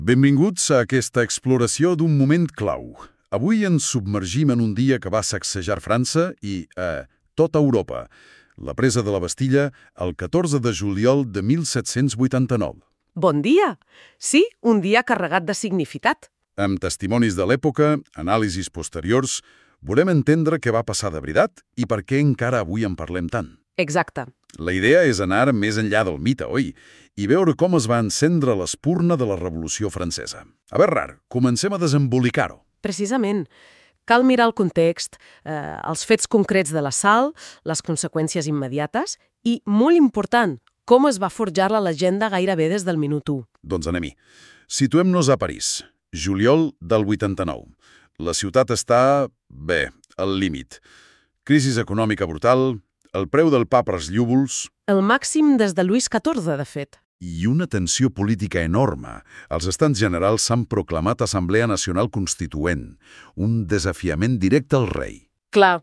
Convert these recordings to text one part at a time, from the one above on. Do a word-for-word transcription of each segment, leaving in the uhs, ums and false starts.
Benvinguts a aquesta exploració d'un moment clau. Avui ens submergim en un dia que va sacsejar França i, eh, tota Europa. La presa de la Bastilla el catorze de juliol de mil set-cents vuitanta-nou. Bon dia! Sí, un dia carregat de significat. Amb testimonis de l'època, anàlisis posteriors, volem entendre què va passar de veritat i per què encara avui en parlem tant. Exacte. La idea és anar més enllà del mite, oi? I veure com es va encendre l'espurna de la Revolució Francesa. A veure, rar, comencem a desembolicar-ho. Precisament. Cal mirar el context, eh, els fets concrets de l'assalt, les conseqüències immediates i, molt important, com es va forjar la legenda gairebé des del minut u. Doncs anem-hi. Situem-nos a París, juliol del vuitanta-nou. La ciutat està, bé, al límit. Crisi econòmica brutal, el preu del pa pels llúvols... El màxim des de Lluís catorze, de fet. I una tensió política enorme. Els Estats Generals s'han proclamat Assemblea Nacional Constituent, un desafiament directe al rei. Clar.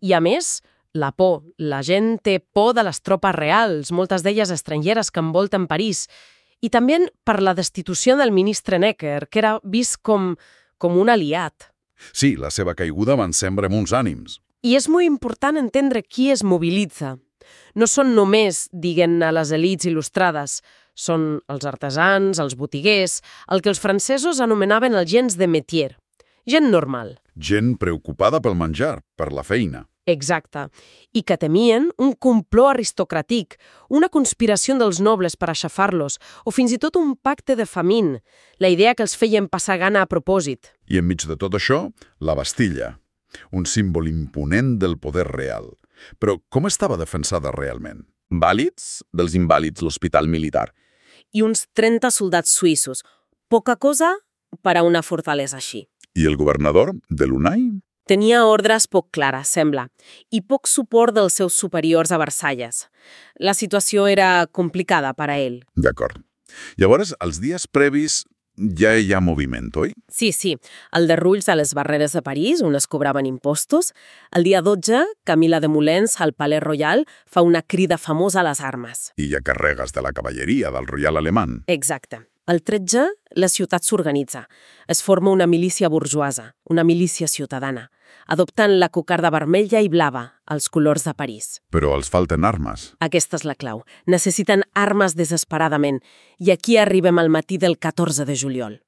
I a més, la por. La gent té por de les tropes reals, moltes d'elles estrangeres que envolten París. I també per la destitució del ministre Necker, que era vist com, com un aliat. Sí, la seva caiguda va encendre molts ànims. I és molt important entendre qui es mobilitza. No són només, diguen-ne, les elits il·lustrades. Són els artesans, els botiguers, el que els francesos anomenaven els gens de métier. Gent normal. Gent preocupada pel menjar, per la feina. Exacte. I que temien un complot aristocràtic, una conspiració dels nobles per aixafar-los, o fins i tot un pacte de famín, la idea que els feien passar gana a propòsit. I enmig de tot això, la Bastilla, un símbol imponent del poder real. Però com estava defensada realment? Vàlids dels invàlids l'hospital militar. I uns trenta soldats suïssos. Poca cosa per a una fortalesa així. I el governador de l'Unai? Tenia ordres poc clares, sembla, i poc suport dels seus superiors a Versalles. La situació era complicada per a ell. D'acord. Llavors, els dies previs ja hi ha moviment, oi? Sí, sí. El derrulls a les barreres de París, on es cobraven impostos. El dia dotze, Camila de Molens, al Palais Royal, fa una crida famosa a les armes. I hi ha carregues de la cavalleria del Royal Alemany. Exacte. El tretze, la ciutat s'organitza. Es forma una milícia burjoasa, una milícia ciutadana, adoptant la cocarda vermella i blava, els colors de París. Però els falten armes. Aquesta és la clau. Necessiten armes desesperadament. I aquí arribem al matí del catorze de juliol.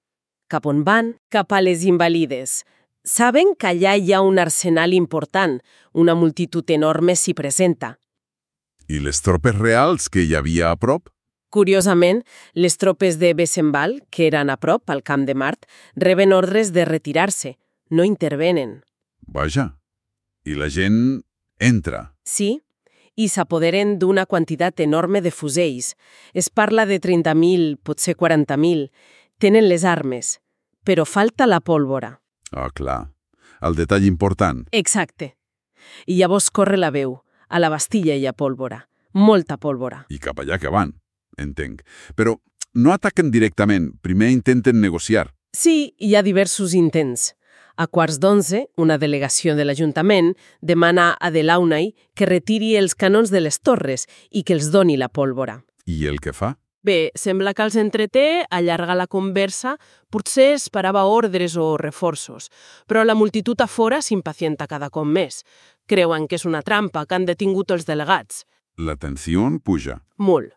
Cap on van? Cap a les Invalides. Saben que allà hi ha un arsenal important. Una multitud enorme s'hi presenta. I les tropes reals que hi havia a prop? Curiosament, les tropes de Bessenval, que eren a prop, al Camp de Mart, reben ordres de retirar-se. No intervenen. Vaja. I la gent entra. Sí, i s'apoderen d'una quantitat enorme de fusells. Es parla de trenta mil, potser quaranta mil. Tenen les armes, però falta la pólvora. Ah, clar. El detall important. Exacte. I llavors corre la veu. A la Bastilla hi ha pólvora. Molta pólvora. I cap allà que van. Entenc. Però no ataquen directament. Primer intenten negociar. Sí, hi ha diversos intents. A quarts d'onze, una delegació de l'Ajuntament demana a Delaunay que retiri els canons de les torres i que els doni la pólvora. I el que fa? Bé, sembla que els entreté, allarga la conversa, potser esperava ordres o reforços, però la multitud a fora s'impacienta cada cop més. Creuen que és una trampa, que han detingut els delegats. La tensió puja. Molt.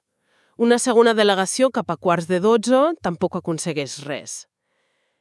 Una segona delegació cap a quarts de dotze tampoc aconsegueix res.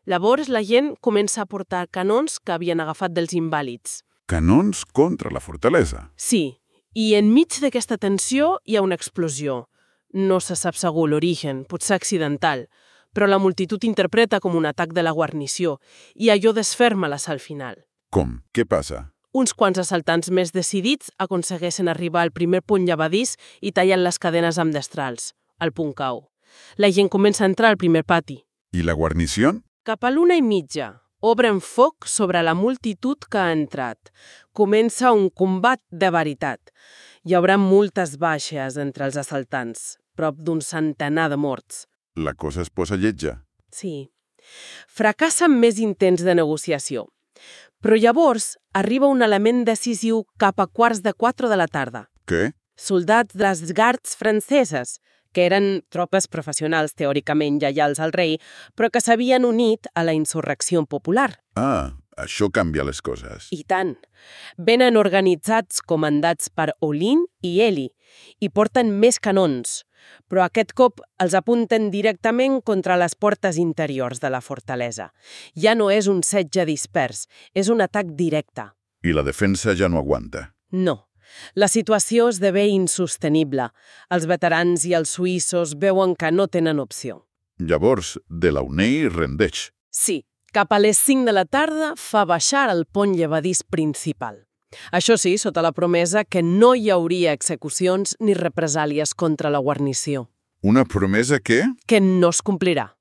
Llavors la gent comença a portar canons que havien agafat dels invàlids. Canons contra la fortalesa. Sí, i enmig d'aquesta tensió hi ha una explosió. No se sap segur l'origen, potser accidental, però la multitud interpreta com un atac de la guarnició i allò desferma l'assalt final. Com? Què passa? Uns quants assaltants més decidits aconsegueixen arribar al primer punt llevadís i tallen les cadenes amb destrals, al punt cau. La gent comença a entrar al primer pati. I la guarnició? Cap a l'una i mitja, obren foc sobre la multitud que ha entrat. Comença un combat de veritat. Hi haurà moltes baixes entre els assaltants, prop d'un centenar de morts. La cosa es posa lletja. Sí. Fracassen més intents de negociació. Però llavors arriba un element decisiu cap a quarts de quatre de la tarda. Què? Soldats de les gards franceses, que eren tropes professionals teòricament lleials al rei, però que s'havien unit a la insurrecció popular. Ah, això canvia les coses. I tant. Venen organitzats comandats per Olin i Eli i porten més canons, però aquest cop els apunten directament contra les portes interiors de la fortalesa. Ja no és un setge dispers, és un atac directe. I la defensa ja no aguanta. No. La situació esdevé insostenible. Els veterans i els suïssos veuen que no tenen opció. Llavors, Delaunay rendeix. Sí, cap a les cinc de la tarda fa baixar el pont llevadís principal. Això sí, sota la promesa que no hi hauria execucions ni represàlies contra la guarnició. Una promesa que? Que no es complirà.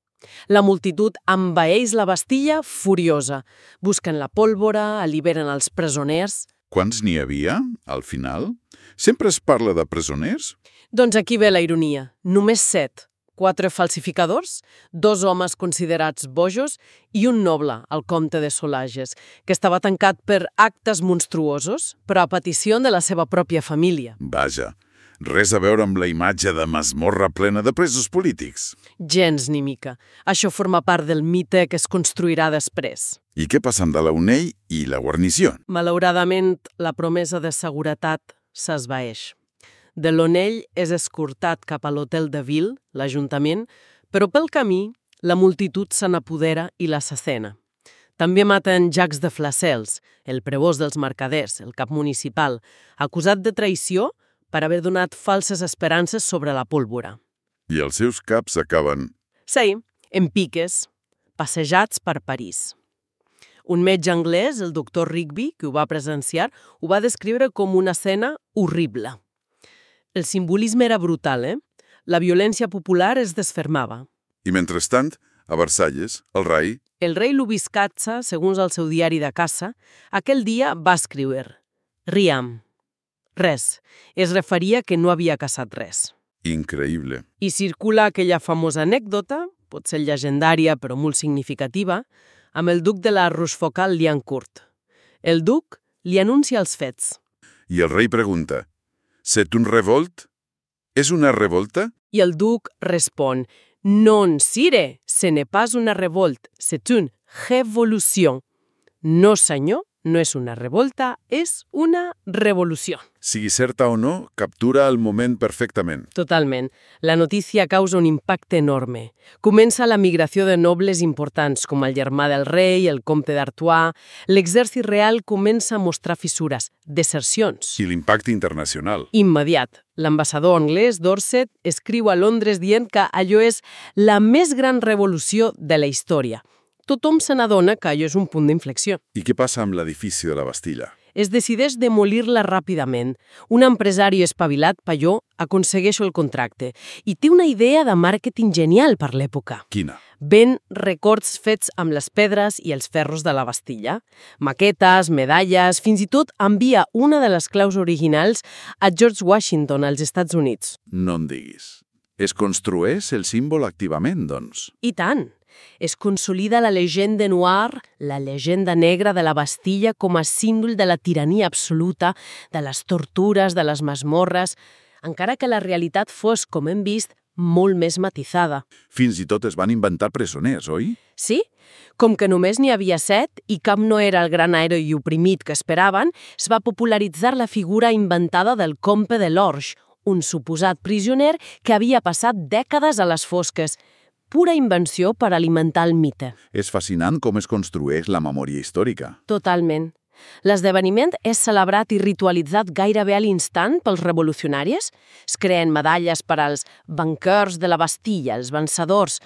La multitud envaeix la Bastilla furiosa. Busquen la pólvora, alliberen els presoners. Quants n'hi havia, al final? Sempre es parla de presoners? Doncs aquí ve la ironia. Només set. Quatre falsificadors, dos homes considerats bojos i un noble, el comte de Solages, que estava tancat per actes monstruosos, però a petició de la seva pròpia família. Vaja, res a veure amb la imatge de masmorra plena de presos polítics. Gens ni mica. Això forma part del mite que es construirà després. I què passa amb Delaunay i la guarnició? Malauradament, la promesa de seguretat s'esvaeix. Delaunay és escortat cap a l'hotel de Ville, l'Ajuntament, però pel camí la multitud se n'apodera i l'assassena. També maten Jacques de Flacels, el prevós dels mercaders, el cap municipal, acusat de traïció per haver donat falses esperances sobre la pólvora. I els seus caps acaben... Sí, en piques, passejats per París. Un metge anglès, el doctor Rigby, que ho va presenciar, ho va descriure com una escena horrible. El simbolisme era brutal, eh? La violència popular es desfermava. I mentrestant, a Versalles, el rei... El rei Lubiscazza, segons el seu diari de caça, aquell dia va escriure «Riam». Res. Es referia que no havia caçat res. Increïble. I circula aquella famosa anècdota, potser llegendària però molt significativa, amb el duc de la Rochefoucauld-Liancourt. El duc li anuncia els fets. I el rei pregunta... «C'est un revolt? És una revolta?» I el duc respon «Non, sire, ce n'est pas una revolte, c'est une révolution». No, senyor, no és una revolta, és una revolució. Sigui certa o no, captura el moment perfectament. Totalment. La notícia causa un impacte enorme. Comença la migració de nobles importants, com el germà del rei, el comte d'Artois. L'exèrcit real comença a mostrar fissures, desercions. I l'impacte internacional. Immediat. L'ambassador anglès, Dorset, escriu a Londres dient que allò és la més gran revolució de la història. Tothom se n'adona que allò és un punt d'inflexió. I què passa amb l'edifici de la Bastilla? Es decideix demolir-la ràpidament. Un empresari espavilat, Palló, aconsegueix el contracte i té una idea de màrqueting genial per l'època. Quina? Ven records fets amb les pedres i els ferros de la Bastilla, maquetes, medalles, fins i tot envia una de les claus originals a George Washington, als Estats Units. No em diguis. Es construeix el símbol activament, doncs? I tant! Es consolida la llegenda noir, la llegenda negra de la Bastilla com a símbol de la tirania absoluta, de les tortures, de les masmorres, encara que la realitat fos, com hem vist, molt més matisada. Fins i tot es van inventar presoners, oi? Sí, com que només n'hi havia set i cap no era el gran heroi oprimit que esperaven, es va popularitzar la figura inventada del comte de l'Orge, un suposat prisioner que havia passat dècades a les fosques. Pura invenció per alimentar el mite. És fascinant com es construeix la memòria històrica. Totalment. L'esdeveniment és celebrat i ritualitzat gairebé a l'instant pels revolucionaris. Es creen medalles per als banquers de la Bastilla, els vencedors.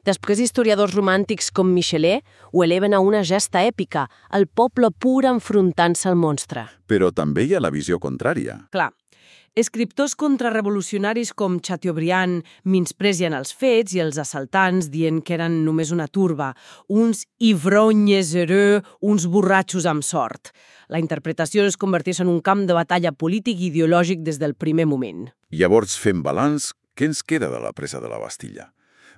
Després, historiadors romàntics com Michelet ho eleven a una gesta èpica, el poble pur enfrontant-se al monstre. Però també hi ha la visió contrària. Clar. Escriptors contrarrevolucionaris com Chateaubriand menyspreen els fets i els assaltants dient que eren només una turba, uns ivrognes heureux, uns borratxos amb sort. La interpretació es converteix en un camp de batalla polític i ideològic des del primer moment. Llavors, fem balanç, què ens queda de la presa de la Bastilla?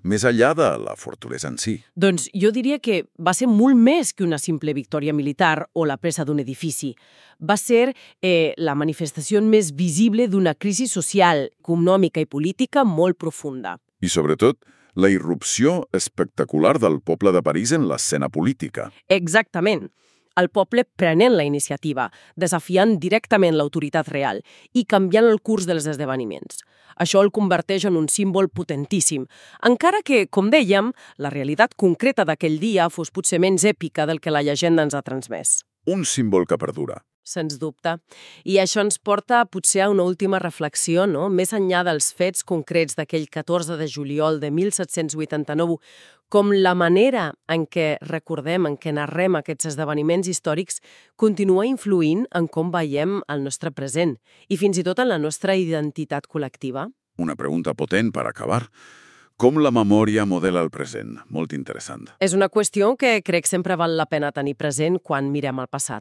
més enllà de la fortalesa en si. Doncs jo diria que va ser molt més que una simple victòria militar o la presa d'un edifici. Va ser eh, la manifestació més visible d'una crisi social, econòmica i política molt profunda. I, sobretot, la irrupció espectacular del poble de París en l'escena política. Exactament. El poble prenent la iniciativa, desafiant directament l'autoritat real i canviant el curs dels esdeveniments. Això el converteix en un símbol potentíssim, encara que, com dèiem, la realitat concreta d'aquell dia fos potser menys èpica del que la llegenda ens ha transmès. Un símbol que perdura. Sens dubte. I això ens porta potser a una última reflexió, no? Més enllà dels fets concrets d'aquell catorze de juliol de mil set-cents vuitanta-nou, com la manera en què recordem, en què narrem aquests esdeveniments històrics continua influint en com veiem el nostre present i fins i tot en la nostra identitat col·lectiva. Una pregunta potent per acabar. Com la memòria modela el present? Molt interessant. És una qüestió que crec sempre val la pena tenir present quan mirem el passat.